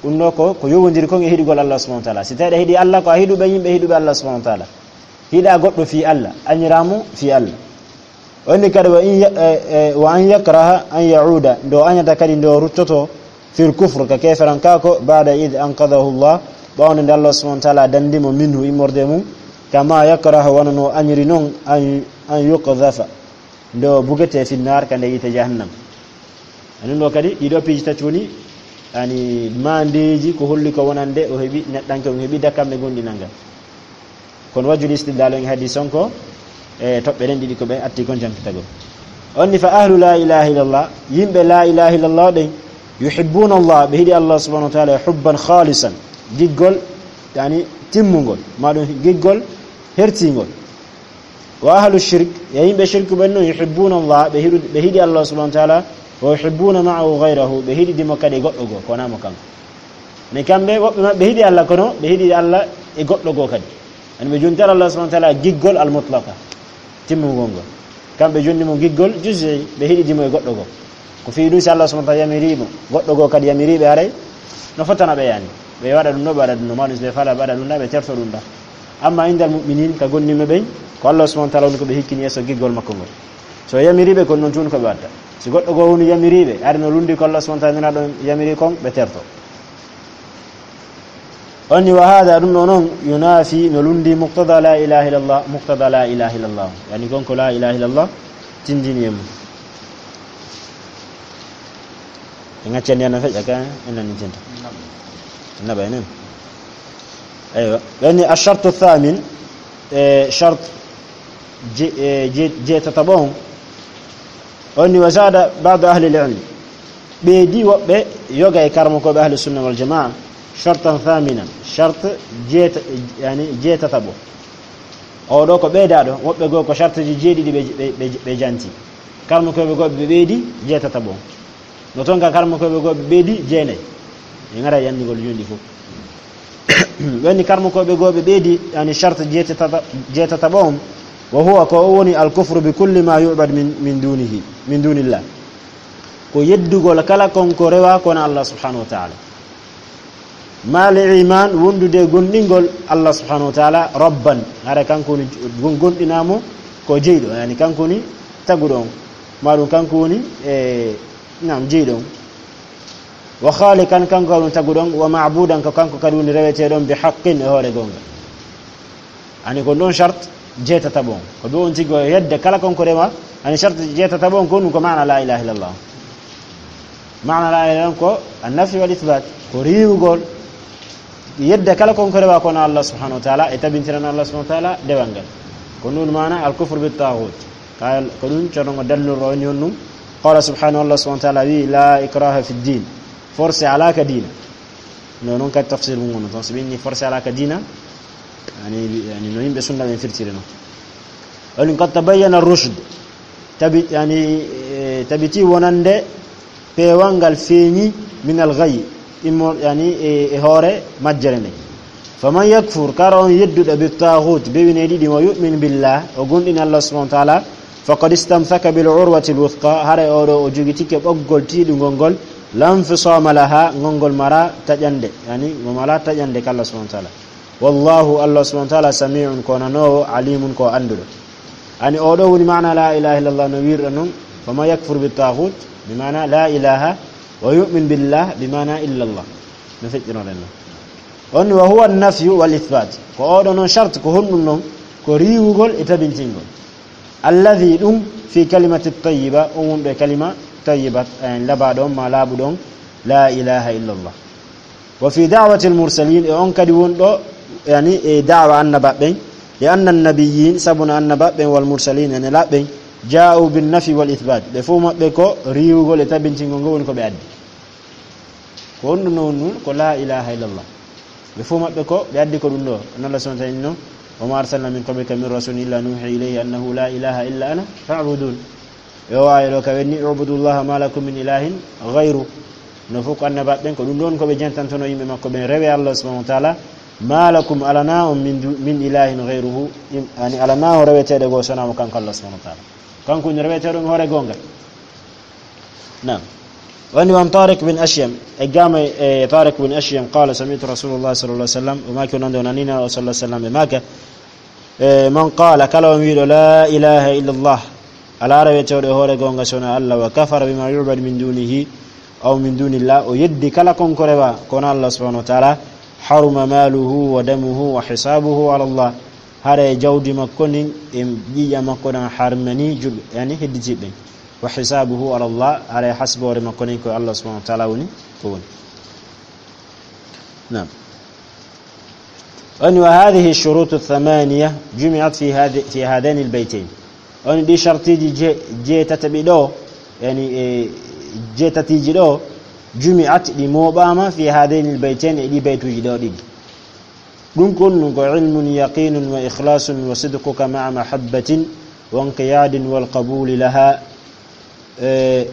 Ɗum ɗo ko, ko yowondiri kon e hiɗugol Allah subhanahu wa ta'ala. Si tawi aɗa hiɗi Allah, ko a hiɗuɓe yimɓe hiɗuɓe Allah subhanahu wa ta'ala. Hiɗa goɗɗo fii Allah, añiraa mo fii Allah. O inni kadi, wa in ya-, e, e, wa an yakraha an ya'uda, nde o añata kadi nde o ruttoto fil kufr, ka keeferankaaku, ba'da id anqadahu Allah, ɓaawo nde Allah subhanahu wa ta'ala dandi mo minhu, immorde mum, kama yakraha, wano no o añiri non, an, an yuqdhafa, nde o bugete fi nnar, ka nder yiite jahannam. Anun ɗo kadi, ɗiɗo piiji tati woni, yani, maandeeji ko holli ko wonande o heɓi, neɗɗanke on heɓi dakamme gonɗinal ngal. Kono wajhul istidlal on e hadis on ko e toɓɓe ɗen ɗiɗi ko ɓe atti kon jankitagol. On ni fa ahlu la ilaha illallah, yimɓe la ilaha illallah ɗen, yuhibbuna Allah, ɓe hiɗi Allah subhanahu wa ta'ala hubban khalisan, giggol, yani, timmungol, ma ɗum giggol hertingol. Wa ahlu shirk, e yimɓe shirku ɓen non, yuhibbuna Allah, ɓe hiɗu-, ɓe hiɗi Allah subhanahu wa ta'ala, wa yuhibbuna ma'ahu ghayrahu, ɓe hiɗidi mo kadi e goɗɗo goo, ko wonaa mo kanko. Mais kamɓe, woɓɓe maɓɓe hiɗi Allah, kono ɓe hiɗi Allah e goɗɗo goo kadi. Yani ɓe jonti Allah subhanahu wa ta'ala giggol al-mutlaqa, timmungol ngol. Kamɓe jonni mo giggol juz'i, ɓe hiɗidi mo e goɗɗo goo. Ko fii ɗum, si Allah subhanahu wa ta'ala yamiri mo, goɗɗo goo kadi yamiri ɓe, haray no fottana ɓe, yani. Ɓe waɗa ɗum ɗo, ɓe waɗa ɗum ɗo, ma ɗum si ɓe fala, ɓe waɗa ɗum ɗo, ɓe terto ɗum ɗo. Amma indal mu'minin, ka gomɗinɓe ɓen, ko Allah subhanahu wa ta'ala woni ko ɓe hikkini yeeso giggol makko ngol. So yamiri ɓe, kon non tun ko ɓe watta. Si goɗɗo goo woni yamiri ɓe, hari no lundi ko Allah subhanahu wa ta'ala nelaaɗo yamiri kon, ɓe terto. On ni, wa hada, ɗum ɗo non, yunafi, no lundi muqtada la ilaha illallah, muqtada la ilaha illallah. Yani kon ko la ilaha illallah tindini e mum. En accani yana feƴƴa ka en nani tinta. Naɓa enen. Aywa. Yani ash-shartu thamin, e, shart je-, e, je-, jeetataɓo on. On ni, wa zada ba'du ahli al-ilm. Ɓeydi woɓɓe yoga e karmokooɓe ahli sunna wal jamaa, shartan thaminan, shart jeeta-, yani jeetataɓo. Oo ɗo ko ɓeydaaɗo, woɓɓe goo ko shartiji jeeɗiɗi ɓe, ɓe, ɓe, ɓe janti. Karmokooɓe goo ɓe ɓeydi jeetataɓo. No ton ka karmokooɓe goo ɓe ɓeydi jeenay. En ara e anndugol jooni fof. Woni karmokooɓe goo ɓe ɓeydi, yani, shart jeetata-, jeetataɓo on, wa huwa, ko o woni al-kufru bi kulli ma yu'bad min, min dunihi, min dunillah. Ko yeddugol kala kon ko rewa kono Allah subhanahu wa ta'ala. Ma al iman, wondude e gomɗingol Allah subhanahu wa ta'ala rabban. Hara kanko woni gon-, gomɗinaa mo ko jeyɗo, yani, kanko woni taguɗo on. Ma ɗum kanko woni, e, naam, jeyɗo on. Wa khaliqan, kanko kadi woni taguɗo on, wa ma'budan, ko kanko kadi woni reweteeɗo on, bi haqqin, e hoore goonga. Ani ko ɗon shart jeetataɓo on. Ko ɗum on tigi o yedda kala kon ko rewa, ani shart jeetataɓo on ko ɗum ko maana la ilaha illallah. Maana la ilaha illallah ko an-nafi wal ithbat, ko riiwugol, yedda kala kon ko rewa kono Allah subhanahu wa ta'ala, e tabintirana Allah subhanahu wa ta'ala dewal ngal. Ko ɗum maana al-kufru bit taghut. Kay ko ɗum Ceerno ngo dallirno on ɗum. Qala subhanahu, Allah subhanahu wa taala wi, la ikraha fi ddin, forcé alaka diina. No noon kadi tafsir mum woni toon, so ɓe inni forcé alaka diina, yani, yani no yimɓe sunna ɓen firtiri noon. Woni qad tabayyana rushd, tabi, yani, e, tabiti wonande peewal ngal feeñi min al ghayy, immo, yani, e, e hoore majjere nde. Faman yakfur, kala on yedduɗo, bi taaxuut, bewine ɗiɗi, wa yu'min billah, o gomɗini Allah subhanahu wa taala, faqad istamsaka bil urwati al wuthqa, haray oɗo o jogitike ɓoggol tiiɗungol ngol, la nfisaama laha, ngol ngol mara taƴande, yani, ngol mara taƴande ka Allah subhanahu wa taala. Wallahu, Allah subhanahu wa taala, samiun, ko nanoowo, alimun, ko annduɗo. Ani oɗo woni maana la ilaha illallah no wirɗo noon, faman yakfur bi taaxuut, bi maana la ilaha, wa yu'min billah, bi maana illallah. No feƴƴinoɗen noon. On wa huwa nafyu wal ithbat. Ko oɗo noon shart, ko honɗum noon? Ko riiwugol e tabintingol. Alladhi, ɗum, fi kalimati tayyiba, on wonɗo e kalima tayyiba, en labaɗo on, ma laaɓuɗo on, la ilaha illallah. Wa fi da'wati al mursalin, e on kadi wonɗo, yani, e da'wa annaba ɓen, li anna nabiyyin, sabu no annaba ɓen, wal mursalin, e nelaaɓe ɓen, ja'u bin nafi wal ithbat. Ɓe fof maɓɓe ko riiwugol e tabintingol ngol woni ko ɓe addi. Ko honɗum noon nun? Ko la ilaha illallah. Ɓe fof maɓɓe ko ɓe addi ko ɗum ɗo. Hono Allah subhanahu wa taala inni noon, wa ma arsalna min qablika min rasulin illa nuhi ilayhi annahu la ilaha illa ana fa'budun. E o aaya ɗo ka wenni, ubudullaha ma lakum min ilahin ghayru. No fof ko annabaaɓe ɓen, ko ɗum ɗon ko ɓe jantantono yimɓe makko ɓen, rewe Allah subhanahu wa taala, ma lakum, alana on min du-, min ilahin ghayruhu, im-, ani alana on reweteeɗo goo so wonaa mo kanko Allah subhanahu wa taala. Kanko woni reweteeɗo on hoore goonga. Naam. Woni wan Tariq bin Ashyam, e gama e Tariq bin Ashyam, qala sami'tu Rasulullah sallallahu alaihi wasallam, o maaki o nande o nanina o sallallahu alaihi wasallam, e maaka, e, man qala, kala on wiiɗo, la ilaha illallah, alaa reweteeɗo e hoore goonga so wonaa Allah, wa kafara bima yu'badu min dunihi, aw min dunillah, o yeddi kala kon ko rewa ko wonaa Allah subhanahu wa taala, haruma maluhu wa damuhu wa hisabuhu ala Allah, haray jawdi makko ndin e ƴiiƴam makko ɗan harmani julɓe, yani hedditiiɓe ɓen. Wa hisabuhu ala Allah, haray hasboore makko nden ko Allah subhanahu wa taala woni ko woni. Naam. Woni wa hadhihi shurutu thamaniya jumi'at fi hadhi-, fi hadhaini albaytain. Woni ɗi shartiji je-, jeetataɓi ɗo, yani e jeetatiji ɗo, jumi'at, ɗi mooɓaama fi hadhaini albaytain, e ɗi baytuji ɗo ɗiɗi. Ɗum ko honɗum? Ko ilmun yaqinun wa ikhlasun wa sidquka ma'a mahabbatin wa inqiyadin wal qabuli laha, eh,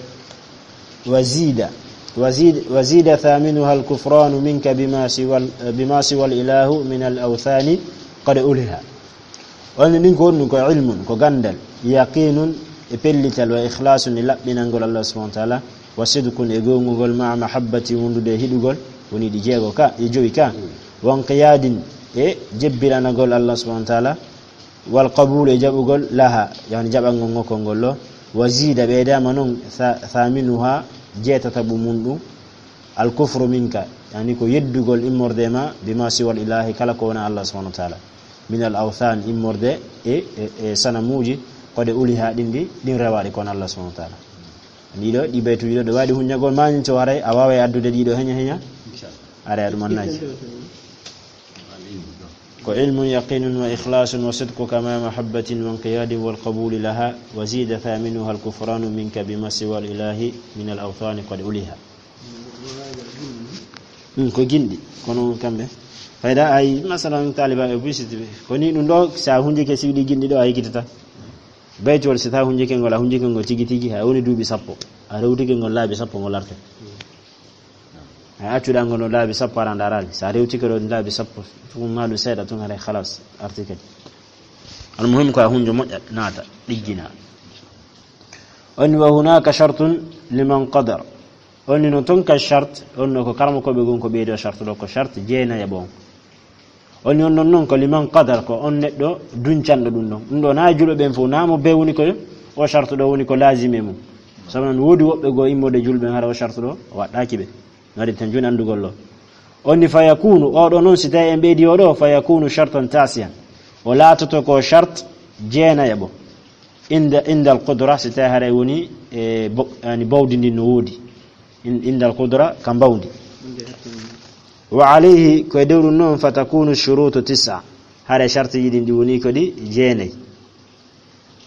wa zida, wa zid-, wa zida thaminuha al kufranu minka bima siwa, bima siwa al ilahu min al awthani qad uliha. Woni ɗin ko honɗum? Ko ilmun, ko gandal, yaqinun, e pellital, wa ikhlasun, e laɓɓinangol Allah subhanahu wa taala, wa sidqun, e gongugol, ma'a mahabbati, wondude e hiɗugol, woni ɗi jeego ka, e joyi ka. Wa inqiyadin, e jebbiranagol Allah subhanahu wa taala, wal qabul, e jaɓugol, laha, yani jaɓangol ngokol ngol ɗo, wa zida, ɓeydama non, tha-, thaminuha, jeetataɓu mun ɗum, al kufru minka, yani ko yeddugol immorde ma, bima siwal ilahi, kala ko wona Allah subhanahu wa taala, min al awthan, immorde e, e, e sanamuji, qad uliha, ɗin ɗi, ɗin rewaɗi ko wona Allah subhanahu wa taala. Ɗiɗo, ɗi baytuji ɗo, ɗo waɗi hunñagol ma, min so haray a waaway addude ɗiɗo heña heña, haray a ɗum annaji. Ko ilmun yaqinun wa ikhlasun wa sidquka ma mahabbatin wa inqiyadin wal qabuli laha, wa zida thaminuha al kufranu minka bima siwa al ilahi min al awthani qad uliha. Mm, ko ginɗi, kono kamɓe. Fayda ay, masalan, taliba e busiti ɓe. Ko ni ɗum ɗo, sa hunjike siwɗi ginɗi ɗo, a yikitata. Baytol, si ta hunjike ngol, a hunjike ngol tigi tigi, ha woni duuɓi sappo. A rewtike ngol laabi sappo ngol arte. A accuɗa ngol no laabi sappo, ara ndaraali. Sa rewtike ɗo laabi sappo, tun ma ɗum seeɗa tun, haray khalas, arti kadi. Al muhim ko a hunjo moƴƴa, naata, ɗiggina. On wa hunaka shartun liman qadar. On no ton ka shart, on no ko karamo ko ɓe gon ko ɓeydo shart ɗo, ko shart jeenayaɓo on. On non, non, non ko liman qadar, ko on neɗɗo duncanɗo ɗum ɗon. Ɗum ɗo na e julɓe ɓen fof, na mo be woni ko o shartu ɗo woni ko laazime mum. Sabu non woodi woɓɓe goo immorde julɓe ɓen hara o shartu ɗo, o waɗɗaaki ɓe. No waɗi tan jooni anndugol ɗo. On ni fa yakunu, o ɗo non si tawi en ɓeydi o ɗo, fa yakunu shartan tasiyan. O laatoto ko shart jeenayaɓo. Inda, indal qudra, si tawi haray woni e bo-, yani bawdi ndin no woodi. In-, indal qudra ka mbawdi. Wa alayhi, ko e dow ɗum noon, fa takunu shurutu tis'a. Hare shartiji ɗin ɗi woni ko ɗi jeenayi.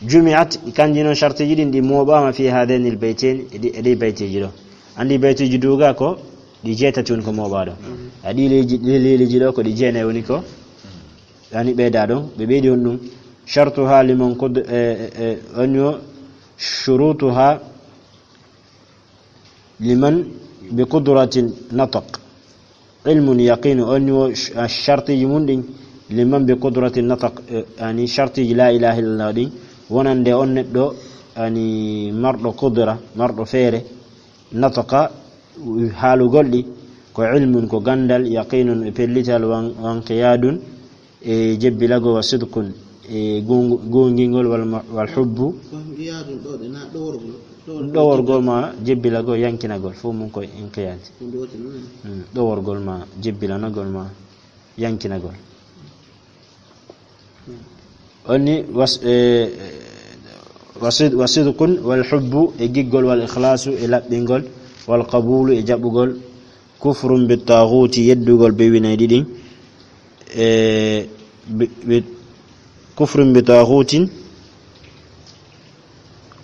Jumi'at, kanji noon shartiiji ɗin ɗi mooɓaama fi haadayni l-baytayni, e ɗi, e ɗi baytiiji ɗo. Anndi baytiiji duuga ko ɗi jeetati woni ko mooɓaa ɗo. A ɗi leeji, ɗi leeliji ɗo ko ɗi jeenayi woni ko. Yaani ɓeyda ɗon, ɓe ɓeydi on ɗum. Shartuha liman qud-, e, e, e, on yo shurutuha liman bi qudratin nataq. Ilmun yaqinu, on wo sh-, a shartiji mun ɗin, liman bi qudratin nataq, eh, yani shartiji la ilaha illallah ɗin, wonande on neɗɗo, yani marɗo qudra, marɗo feere, nataqa, haalugol ɗi, ko ilmun, ko gandal, yaqinun, e pellital, wan, wan qiyadun, e jebbilagol, wa sidqun, e gongu-, gongingol, wal ma-, wal hubbu. Ko ngiyaadun ɗo ɗe na ɗoworgol, ɗoworgol. Ɗoworgol ma jebbilagol, yankinagol, fof mum koye inqiyaad. Ko ɗum woni ɗum. Mm, ɗoworgol ma, jebbilanagol ma, yankinagol. Mm. Onni was-, e, wasid-, wasidqun wal hubbu, e giggol, wal ikhlasu, e laɓɓingol, wal qabulu, e jaɓugol, kufrun bi taaxuuti, yeddugol ɓe winay ɗiɗin. E, bi, bi, kufrun bi taaxuutin.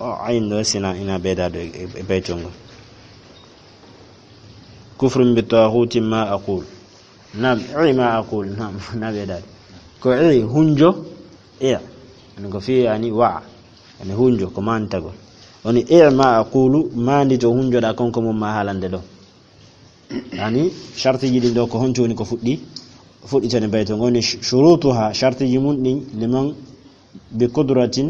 O, ayin ɗo sina ina ɓeyda ɗo e, e, e baytol ngol. Kufrun bi taaxuutin ma aqul. Naam, i ma aqul. Naam, na ɓeyda ɗo. Ko i hunjo, e. Ani ko fi ani wa. Ani hunjo, ko mantagol. Woni i ma aqulu, mandi to hunjoɗa kon ko mum ma haalande ɗo. Yani, shartiji ɗin ɗo ko honto woni ko fuɗɗi, fuɗɗitani bayto ngon ni sh-, shurutuha, shartiji mun ɗin, liman bi qudratin,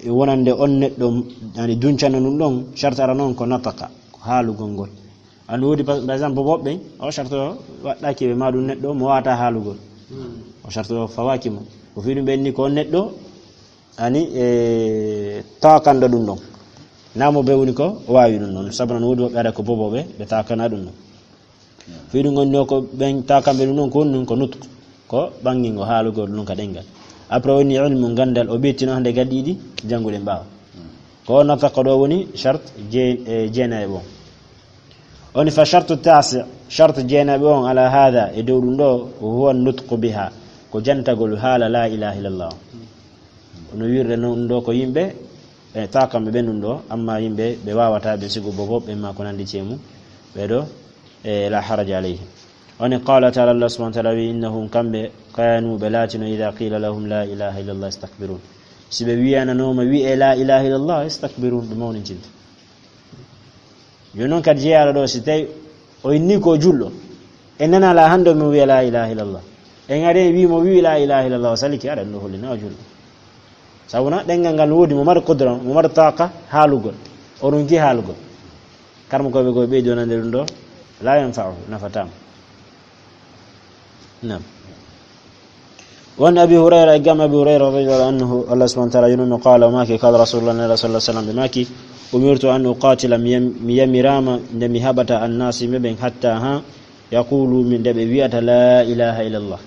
e wonande on neɗɗo, yani, duncano ɗum ɗon, sharti ara noon ko nataka, ko haalugol ngol. An woodi, par, par exemple, bobo ɓen, o sharti o waɗɗaki ɓe ma ɗum neɗɗo mo wata haalugol. Hmm. O sharti o fawaki mo. Ko fi ɗum ɓen ni ko on neɗɗo, ani, e, takanɗo ɗum ɗon. Namo ɓe woni ko waawi ɗum ɗon. Sabu noon woodi woɓɓe ara ko boboɓe, ɓe takana ɗum ɗon. Fii ɗum woni ɗo ko ɓen takanɓe ɗum ɗon ko woni ɗum ko nutq, ko ɓangingo haalugol ɗum ka ɗengal. Après woni ilmu gandal o ɓettino hande gaddi ɗiɗi jannguɗen ɓaawo. Ko nataq ɗo woni shart je-, e, jeenayi ɓon. Woni fa shartu tasi, shart jeenayi ɓon ala hada, e dow ɗum ɗo, huwa nutqu biha, ko jantagol haala la ilaha illallah. No wirde noon ɗo ko yimɓe, e, takanɓe ɓen ɗum ɗo, amma yimɓe ɓe wawata ɓe sigo bobo ɓen ma ko nandi cemu, ɓe ɗo, e, la haraja alayhi. Woni qala taala, Allah subhanahu wa taala wi, innahum kamɓe kanu ɓe laatino, ida qila lahum la ilaha illallah istakbirun. Si ɓe wiyananoma wi'e la ilaha illallah istakbirun, ɓe mawnintinta. Yo noon kadi jeyaɗo ɗo, si tawi o inni ko julɗo, en nana la hande o mo wiya la ilaha illallah. En ari en wi mo wi la ilaha illallah, o saliki, aɗa ɗum ɗo hollina o julɗo. Sabu na ɗengal ngal woodi mo mari qudra, mo mari taqa haalugol. O ronki haalugol. Karmo koɓe koɓe ɓeydi wonande ɗum ɗo, la yanfa'u, nafatamo. Naam. Wa an Abi Hurayra, e gam Abi Hurayra radiyallahu anhu, Allah subhanahu wa ta'ala yurmo, qala, o maaki, qala Rasulullah sallallahu alaihi wasallam, ɓe maaki, umirtu an uqatila, mi yam-, mi yamirama nde mi haɓata annasi yimɓe ɓen hatta ha yaqulu, min nde ɓe wi'ata la ilaha illallah.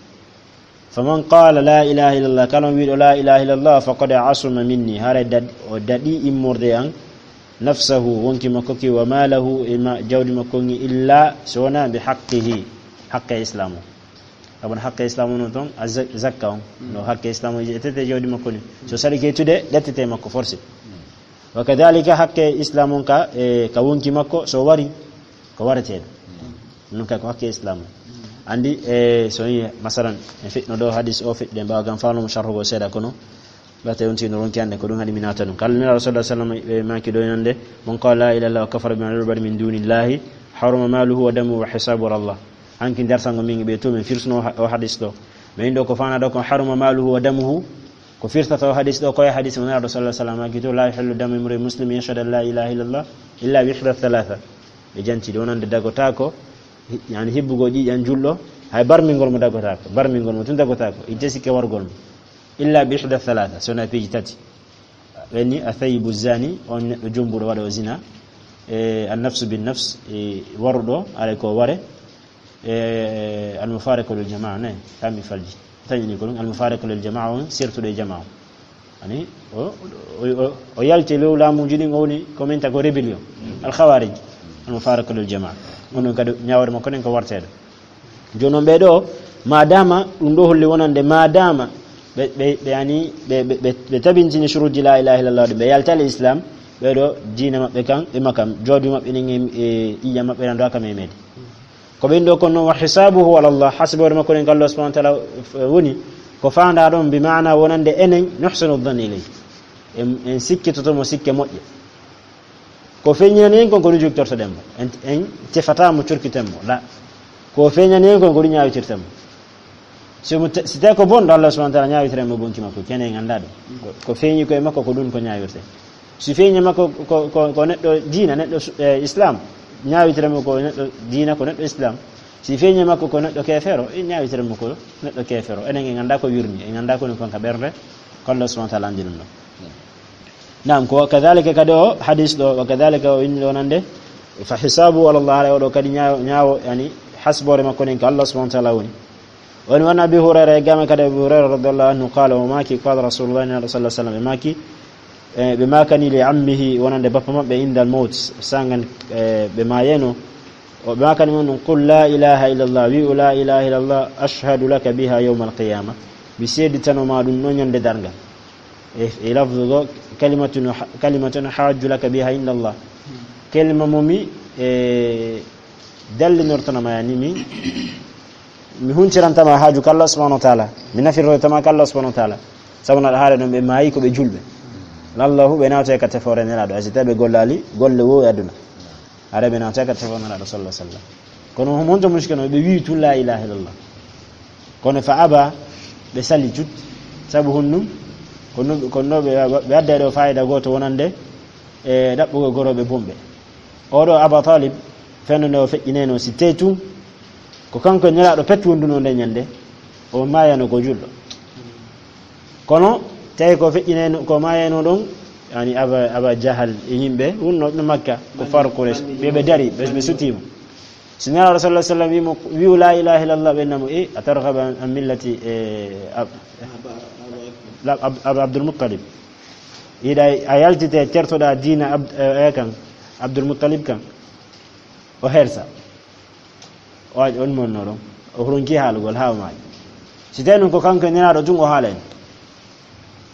Faman qala la ilaha illallah, kala on wiɗo la ilaha illallah, faqad asuma minni, haray dad-, o daɗi immorde an, nafsahu, wonki makko ki, wa malahu, e ma-, jawdi makko ngi, illa, so wona bi haqqihi, haqqe islam o. Abon haqqe islam o non ton, a za-, zakka on. No haqqe islam o je tete jawdi makko ni. So sali ke tude, ɗettete makko forcé. Wa kadhalika haqqe islam on ka, e, ka wonki makko, so wari, ko wareteɗo. Non kay ko haqqe islam on. Andi, e, so yi, masalan, en fitno ɗo hadis o fitde mbawa gam fano mo sharhugo seeɗa kono. Ɓate on tino ronki hande ko ɗum haɗi mi naata ɗum. Kala nira Rasulullah sallallahu alaihi wasallam ɓe maki ɗo yonde, "Man qala la ilaha illallah wa kafara bima yu'badu min dunillahi, haruma maluhu wa damuhu wa hisabu ala Allah." Hanki darsango min ɓe to min firsuno ha-, o hadis ɗo. Mais ɗo ko fana ɗo ko haruma maluhu wa damuhu. Ko firtata o hadis ɗo ko e hadis mo nira Rasulullah sallallahu alaihi wasallam maki to, "La yahillu damu imri muslim yashhadu an la ilaha illallah illa bi ihda thalatha." Ɓe janti ɗo wonande dagotako, hi-, yani hibbugo ƴiƴan julɗo, hay barmingol mo dagotako, barmingol mo tun dagotako, i tesi ke wargol mo. Illa bi ihda thalatha, so na piiji tati. Ɓenni, athayibu zani, on neɗɗo jombuɗo waɗa o zina, e annafsu bin nafs, e waruɗo, alay ko ware, e almufariqu lil jamaa, ne, kami falji. Tañini ko ɗum, almufariqu lil jamaa on, sertuɗo e jamaa on. Ani, o, o, o, o yalti lew laamuji ɗin, o woni ko min ta ko rébellion. Al khawarij, almufariqu lil jamaa. On ɗon kadi ñaawre makko ɗen ko warteɗo. Jooni noon ɓee ɗoo, maadaama ɗum ɗoo holli wonande, maadaama ɓe ɓe ɓe yani ɓe ɓe ɓe ɓe tabintini shuruuji laa ilaaha illallah ɗi, ɓe yaltali islam. Ɓeɗo diina maɓɓe kan ɓe makam jooɗi maɓɓe nen e ƴiƴam maɓɓe nan ɗo aka memede. Ko ɓen ɗo kon noon, wa hisaabuhu ala Allah, hasboore makko nen ko Allah subhanahu wa taala woni. Ko faanda ɗon bi maana wonande enen nuhsinu dhanna ilayhi, en en sikkitoto mo sikke moƴƴe. Ko feeñinani en kon ko ɗum jogtortoɗen mo, en en tefata mo corkiten mo la. Ko feeñani en kon ko ɗum ñaawitirten mo. Si mo te- si tawi ko bonɗo, Allah subhanahu wa taala ñaawitiran mo bonki makko, kene en annda ɗum. Ko- ko feeñi koye makko ko ɗum ko ñaawirte. Si feeñi makko ko ko ko neɗɗo diina, neɗɗo su- eh, islam, ñaawitiran mo ko neɗɗo diina, ko neɗɗo islam. Si feeñi makko ko neɗɗo keefeero, e ñaawitiran mo ko neɗɗo keefeero. Enen en annda ko wirni, en annda ko woni kon ka ɓernde, ko Allah subhanahu wa taala anndi ɗum ɗon. Naam, ko kadhalika kadi o hadis ɗo, wa kadhalika o inni ɗo nande, fa hisabu ala Allah, haray oɗo kadi ñaawo ñaawo yani, hasboore makko nen ko Allah subhanahu wa taala woni. Woni won Abi Hurayra, e game kadi Abi Hurayra radiyallahu anhu, qala, o maaki, qala rasulullah, nelaɗo sallallahu alaihi wasallam, ɓe maaki, e ɓe maakani li ammihi, wonande bappa maɓɓe, indal mawt, sangan e ɓe maayeno, o ɓe maakani mon ɗum, qul la ilaha illallah, wi'u la ilaha illallah, ashhadu laka biha yawma alqiyama, mi seeditano ma ɗum no ñande darngal. E e lafdu go, kalimatun ha- kalimatun hajju laka biha inda Allah, kelma mo mi e dallinortana ma yani mi mi huncirantama haaju ka Allah subhanahu wa taala, mi nafirroytama ka Allah subhanahu wa taala. Sabu naɗa haare ɗon ɓe maayi ko ɓe julɓe. Lallahu ɓe nawte ka tefoore nelaɗo, a si tawi ɓe gollali golle wo e aduna. Haare ɓe nawte ka tefoore nelaɗo sallallahu alaihi wasallam. Kono honto muskino ɓe wi tun la ilaha illallah. Kono fa aba, ɓe sali cut. Sabu honɗum? Kono kono ɓe ɓe adda ɗo fayida goto wonande e ɗaɓɓugol goroɓe bonɓe. Oɗo Aba Talib, fenno nde o feƴƴineno si tey tun ko kanko e nelaɗo pet wonduno nde ñande, o maayano ko julɗo. Kono tawi ko feƴƴineno ko maayano ɗon, yani Aba Aba Jahal e yimɓe wonno no Makka, ko faru Quraysh, ɓe ɓe dari ɓe ɓe sutima. Si nelaɗo sallallahu alaihi wasallam wimo wi'u la ilaha illallah, ɓe namo e a targhabu an an millati e Ab- la- Ab- Ab- Abdul Muttalib. Yiɗa a yaltite tertoɗa diina Abd- e kan Abdul Muttalib kan. O hersa. O waɗi on monno ɗon. O ronki haalugol haa o maayi. Si tawi non ko kanko e nelaɗo tun o haalay,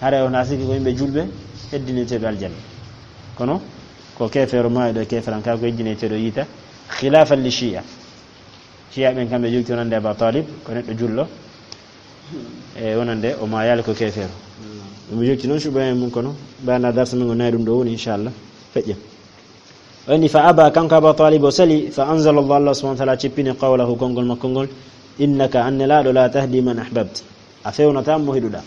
haray on a sikki ko yimɓe julɓe heddiniteɓe aljanna. Kono ko kefeero maayɗo e keferan ka ko heddiniteɗo yiita, khilafan li shi'a. Shi'a ɓen kamɓe jogti wonande Aba Talib ko neɗɗo julɗo, e wonande o maayali ko kefeero. Ɗum jogti noon suɓa e mum kono ɓana darsa men o nayi ɗum ɗo woni inchallah. Feƴƴa. O inni fa aba, kanko Aba Talib o sali, fa anzala Allah, Allah subhanahu wa taala cippini qawlahu, konngol makko ngol, innaka, an nelaaɗo, la tahdi man ahbabta, a fewnata mo hiɗuɗa.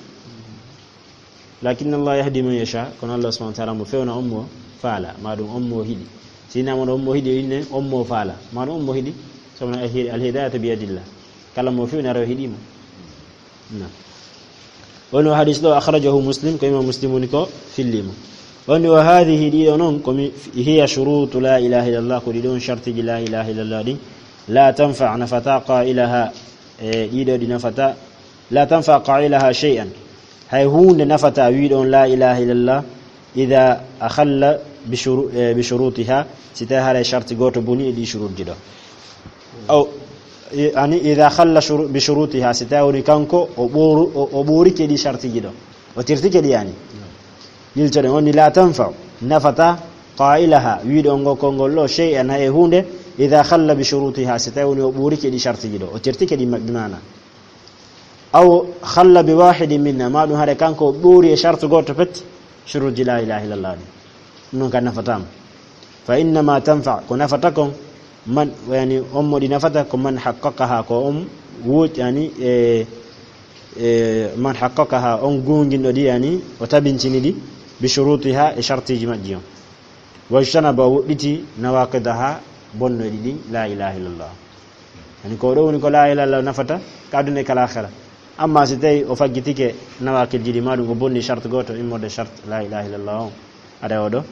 Lakin Allah yahdi man yasha, kono Allah subhanahu wa taala mo fewna on mo faala, ma ɗum on mo hiɗi. Si nama on mo hiɗi, o inne on mo faala, ma ɗum on mo hiɗi, sabu alhidayatu bi yadillah. Kala mo fewni ara o hiɗi mo. Naam. Woni o hadis ɗo, akhrajahu Muslim, ko imam Muslim woni ko filli mo. Woni wa hadhihi, ɗiɗo noon, ko mi hiya shurutu la ilaha illallah, ko ɗiɗo on shartiji la ilaha illallah ɗin. La tanfa, nafata qailaha, e ɗiɗo ɗi nafata, la tanfa qailaha shay'an. Hay huunde nafata wiiɗo on la ilaha illallah, idha akhalla bi shuru- e bi shurutiha, si tawi haray sharti gooto boni e ɗi shurutji ɗo. Aw, i- ani idha khalla shuru- bi shurutiha, si tawi woni kanko o ɓooru- o o ɓoorike ɗi shartiji ɗo, o tirtike ɗi yani. Yiltoɗen woni la tanfa, nafata qailaha, wiiɗo on ngo konngol ɗo, shay'an, hay e huunde, idha khalla bi shurutiha, si tawi woni o ɓoorike ɗi shartiji ɗo, o tirtike ɗi ma- bi maana. Aw khalla bi wahidin minha, ma ɗum haɗa kanko o ɓoori e shartu gooto pet, shuruji la ilaha illallah ɗi. Ɗum noon ka nafata mo. Fa innama tanfa, ko nafata kon, man, yani, on mo ɗi nafata ko man haqqaqaha, ko on wuuj, yani, e, e, man haqqaqaha, on goonginɗo ɗi, yani, o tabintini ɗi, bi shurutiha, e shartiji majji on. Wajtanaba, o woɗɗiti, nawaqidaha, bonnoɗi ɗin, la ilaha illallah. Yani ko ɗo woni ko la ilaha illallah nafata ka aduna e ka laakhira. Amma si tawi o faggitike nawaqidji ɗi, ma ɗum o bonni shart gooto immorde shart la ilaha illallah on, aɗa o ɗo,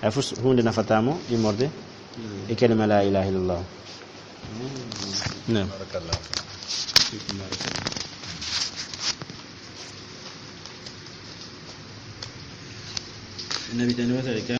hay fus huunde nafata mo immorde e kalima la ilaha illallah. Naam. Barakallah. Fiikum barakallah. Nabi tan wasare ka